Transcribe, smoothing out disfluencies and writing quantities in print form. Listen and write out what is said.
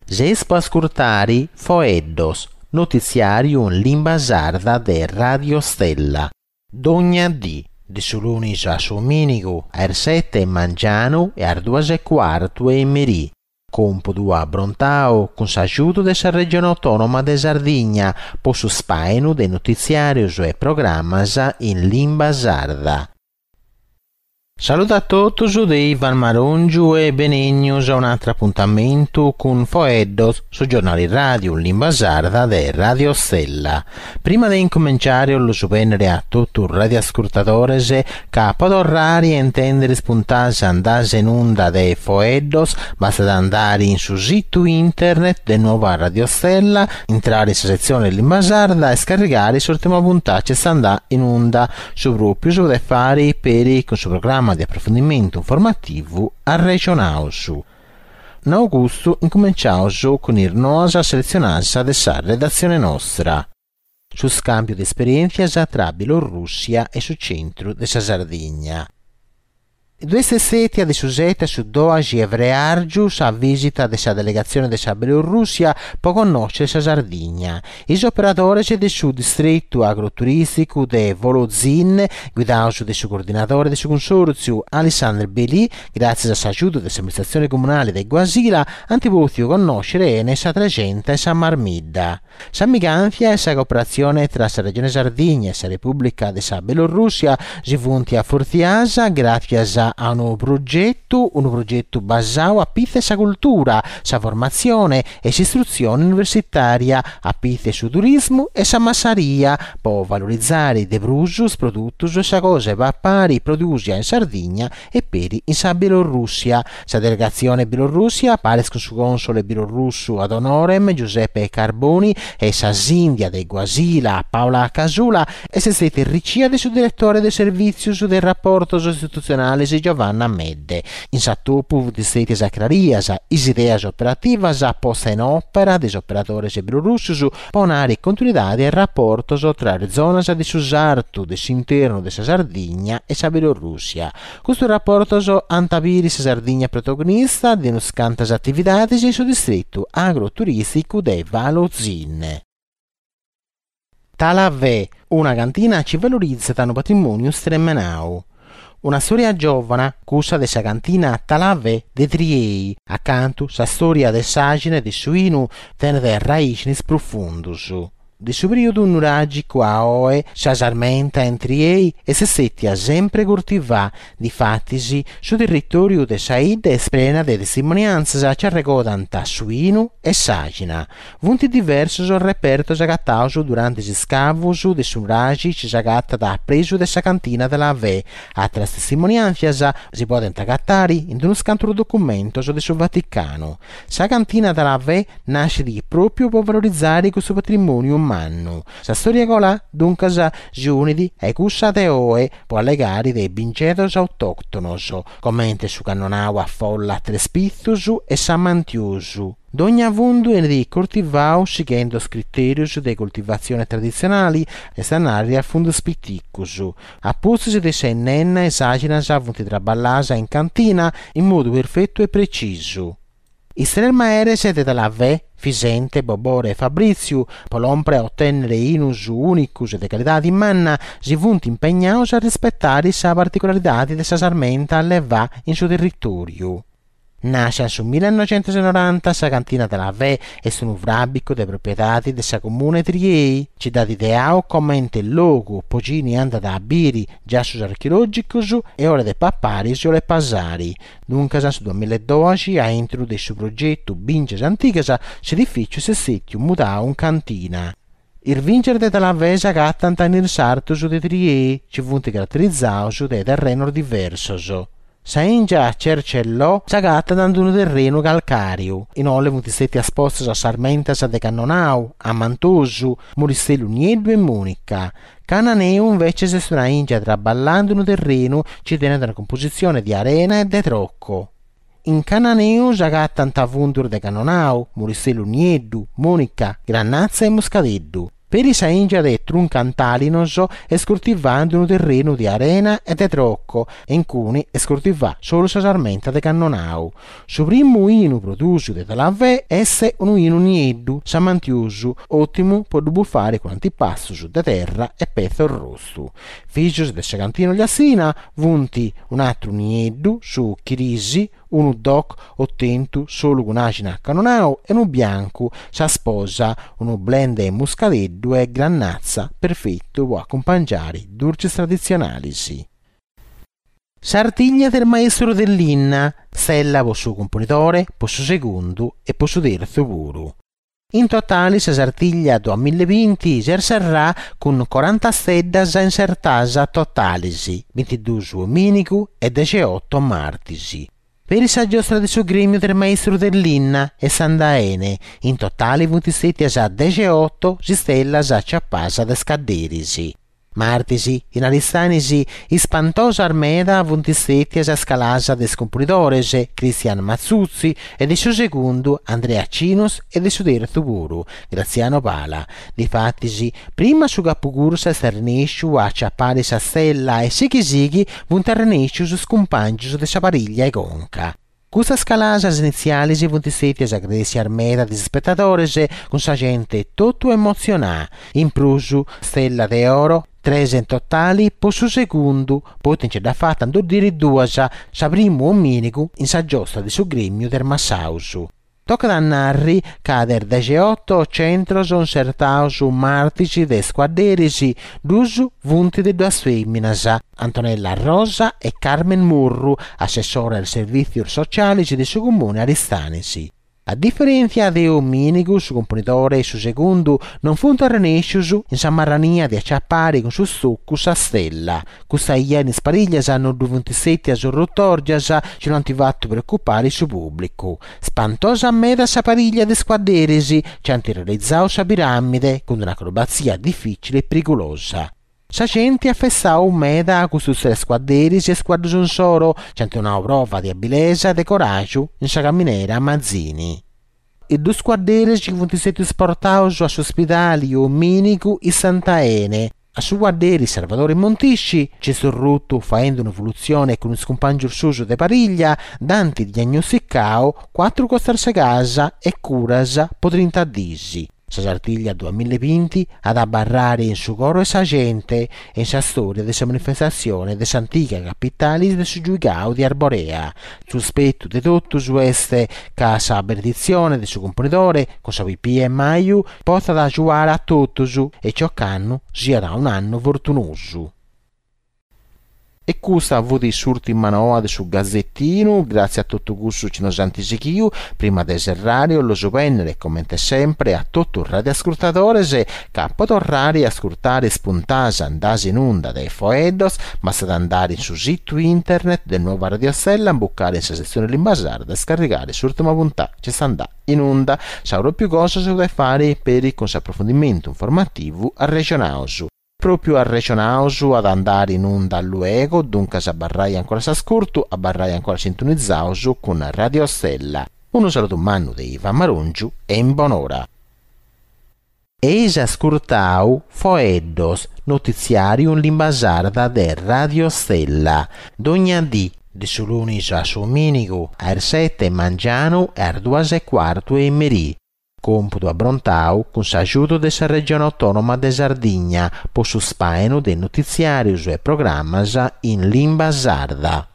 Seis po ascurtari Foeddos, notitziàriu in limba sarda de Radio Stella. Dogna dì, de su lunis a su domìnigu, a is sete 'e mangianu e a is duas e cuartu 'e merì. Còmpudu abrontau cun s'agiudu de sa Regione Autònoma de Sardigna po su spàinu de notitziàrios e programas in limba sarda. Saludu a totus de Ivan Marongiu e benènnios a un'àteru apuntamentu cun Foeddos, su giornali ràdiu in limba sarda de Radio Stella. Prima de incumenciare 'ollu bennere a totu is radioascurtadores ca po torrare a intendere is puntadas andadas in unda de Foeddos bastat andare in su situ internet de Nuova Radio Stella, intrare in sa setzione limba sarda e scarrigare s'ùrtima puntada chi est andada in unda. Su pròpiu si podet fàere peri cun su programma de aprofundimentu informativu Arrexonaus. Nau custu incumenciaus cun is noas seletzionadas de sa redatzione nostra. Su scàmbiu de esperièntzias tra Bielorrùssia e su centru de sa Sardigna. Ddu est stètia de su sete a su doxi 'e freàrgiu sa vìsita de sa delegatzione de sa Bielorrùssia po connòscere sa Sardigna. Is operadores de su distretu agroturìsticu de Volozin, guidados de su coordinadore de su cunsòrtziu Alessandr Belì, gràtzias a s'agiudu de s'amministratzione comunale de Guasila, ant pòtziu connòscere 'ene sa Trexenta e sa Marmidda. S'amigàntzia e sa cooperatzione tra sa Regione Sardigna e sa Repùblica de sa Bielorrùssia si funt afortiadas gràtzias a unu progetu, unu progetu basau a pitzu 'e sa cultura, sa formatzione e s'istrutzione universitària, a pitzu 'e su turismu e sa massaria, po valorizare de prus is produtos e sa cosa 'e papare prodùsia in Sardigna e peri in sa Bielorrùssia. Sa delegatzione bielorrùssia, paris cun su cònsole bielorrussu ad honorem Giuseppe Carboni e sa sìndia de Guasila Paola Casula, est stètia arricia de su diretore de servìtzios de raportos istitutzionales Giovanna Medde. In s'atopu funt stètias acrarias is ideas operativas posta in òpera de is operadores bielorrussos po 'onare continuidade a is raportos tra is zonas de su sartu de s'internu de sa Sardigna e sa Bielorrùssia. Custos raportos ant a biri sa Sardigna protagonista de unas cantas atividades in su distretu agroturìsticu de Valozin. Talavè, una cantina chi valorizat unu patrimòniu stremenau. Una stòria giòvana, cussa de sa cantina Talavè de Triei, acantu sa stòria de s'àxina e de su 'inu tenet raìxinis prufundus. De su perìodu nuràgicu a oe, sa sarmenta in Triei est stètia sempri curtivà, difatis su territòriu de sa 'idda est prena de testimoniàntzias chi arregodant su 'inu e s'àxina. Funt diversos is repertos agatados durante is iscavos de su nuraxi chi s'agatat a presu de sa cantina Talavè. Àteras testimoniàntzias si podent agatare in unos cantos documentos de su Vaticanu. Sa cantina Talavè nascit pròpiu pro valorizare custu patrimòniu mannu. Sa stòria colà, duncas, si unit a cussa de oe pro allegare de bingedos autòctonos, comente su cannonau a folla a tres pizos e s'amantiosu. Dogna fundu 'enit coltivau sighendo is critèrios de coltivatzione traditzionale, est a nàrrere a fundos piticos. A pustis de sa 'innenna is àxinas funt traballadas in cantina in modu perfetu e precisu. Is tres maeres de Talavè, Fisente, Bobore e Fabritziu, po lòmpere a otènnere 'inus ùnicos e de calidade manna, si funt impegnados a rispetare sa particularidade de sa sarmenta allevà in su territòriu. Nàscia in su millenoixentusnoranta, sa cantina Talavè est unu fràbicu de propiedade de sa Comuna 'e Triei, chi dd'at ideau comente logu po chini andat a biri giassus archeològicos e 'olet papari si 'olet pasari. Duncas in su duamillaedoxi, a intru de su progetu Bìngias Antigas, s'edifìciu est stètiu mudau in cantina. Is bìngias de Talavè s'agatant in is sartus de Triei, chi funt caraterizaus de terrenos diversos. Sa 'ìngia Cercellò s'agatat in unu terrenu calcàriu, inole funt stètias postas sarmentas de Cannonau, Amantosu, Muristellu Nieddu e Monica. Cananeu inveces est una 'ìngia traballà in unu terrenu chi tenet una cumpositzione de arena e de troco. In Cananeu s'agatant fundos de Cannonau, Muristellu Nieddu, Monica, Grannatza e Muscadeddu. Peri sa 'ìngia de Truncantalinos est curtivà in unu terrenu de arena e de troco e in cuni est curtivà solu sa sarmenta de cannonau. Su primu 'inu prodùsiu de Talavè est unu 'inu nieddu, samantiosu, òtimu po ddu bufare cun antipastus de terra e petza orrostu. Fìgios de sa cantina ogliastina funt un'atru nieddu, su Chirisi, unu Doc otentu solu cun àxina cannonau e unu biancu, sa sposa, unu blend de muscadeddu e grannatza perfetu po acumpangiare durches traditzionalis. Sartiglia del maestro de linna, stella po su cumponidore, po su segundu e po su tertzu puru. In totali sa Sartiglia duamillebinti s'est serrà cun coranta steddas insertàs totalis, bintidus omìnigu e dexeoto martis. Peri sa giostra de su Grèmiu de is Maistrus de Linna est andà 'ene, in totali funt stètias dexeoto is stellas aciapas de is cadderis. Martis, in Aristanis, ispantosas meda funt stètias is calas de is cumponidores, Cristian Matzutzi, e de su segundu, Andrea Cinos e de su tertzu puru, Graziano Pala. Difatis, prima su capucursa est arrenèsciu a aciapare sa stella e sighi sighi funt arrenèscius is cumpàngius de sa parìglia 'e conca. Custas calasas initzialis funt stètias agradèssias meda de is ispetadores, cun sa gente totu emotzionà. In prus, stella de oro, tres in totali po su segundu, poita nce dd'at fata a ndoddiri duas, sa primu omìnigu in sa giostra de su Grèmiu de is Massaus. Tocat a narri ca de is dexeoto centros insertaus martis de is cuadderis, dus funt de duas fèminas, Antonella Rosa e Carmen Murru, assessora a is servìtzius socialis de su Comunu 'e Aristanis. A diferèntzia de omìnigu, su cumponidore e su segundu non funt arrenèscius in sa marrania de aciapare cun su stocu sa stella. Custa 'ia in is parìglias no ddu funt stètias rutòrgias chi no ant fatu preocupare su pùblicu. Spantosa meda sa parìglia de is cuadderis chi ant realizau sa piràmide cun un'acrobatzia difìcili e perigulosa. Sa genti at festau meda custus tres cuadderis e is cuaddus insoro chi ant donau prova de abilesa e de coràgiu in sa caminera Mazzini. Is dus cuadderis chi funt stètius portaus a s'uspidali omìnigu istant 'ene. A su cuadderi Sarvadore Montisci, chi est orrutu faendi un'evolutzione cun is cumpàngius suus de parìglia, dd'ant diagnosticau cuatru costas segas e curas po trinta dis. Sa Sartiglia duamillebinti at a abarrare in su coro 'e sa gente e in sa stòria de sa manifestatzione de s'antiga capitale de su Giuigau de Arborea. Su spetu de totus est ca sa beneditzione de su Cumponidore cun sa pipia 'e maju potzat agiuare a totus e chi ocannu siat un'annu fortunosu. E custa fut s'ùrtima noa de su Gazetinu, gràtzias a totu cussus chi nos ant sighiu, prima de serrare 'ollu bènnere, comente sempre, a totu is radioascurtadores ca po torrare a ascurtare is puntas andas in unda de Foeddos bastat andare in su situ internet de Nuova Radio Stella, imbucare in sa setzione limba sarda e scarrigare s'ùrtima puntà chi est andà in unda. Sa pròpiu cosa si podet fare peri cun s'aprofundimentu informativu Arrexonaus. Pròpiu Arrexonaus at a andare in unda luego, duncas abarrai ancora a s'ascurtu, abarrai ancora sintonizaus cun Radio Stella. Unu saludu mannu de Ivan Marongiu e in bonora. Eis ascurtau Foeddos, notitziàriu in limba sarda de Radio Stella. Dogna dì, de su lunis a su domìnigu, a is sete 'e mangianu e a is duas e cuartu 'e merì. Còmpudu abrontau cun s'agiudu de sa Regione Autònoma de Sardigna po su spàinu de notitziàrius e programas in limba sarda.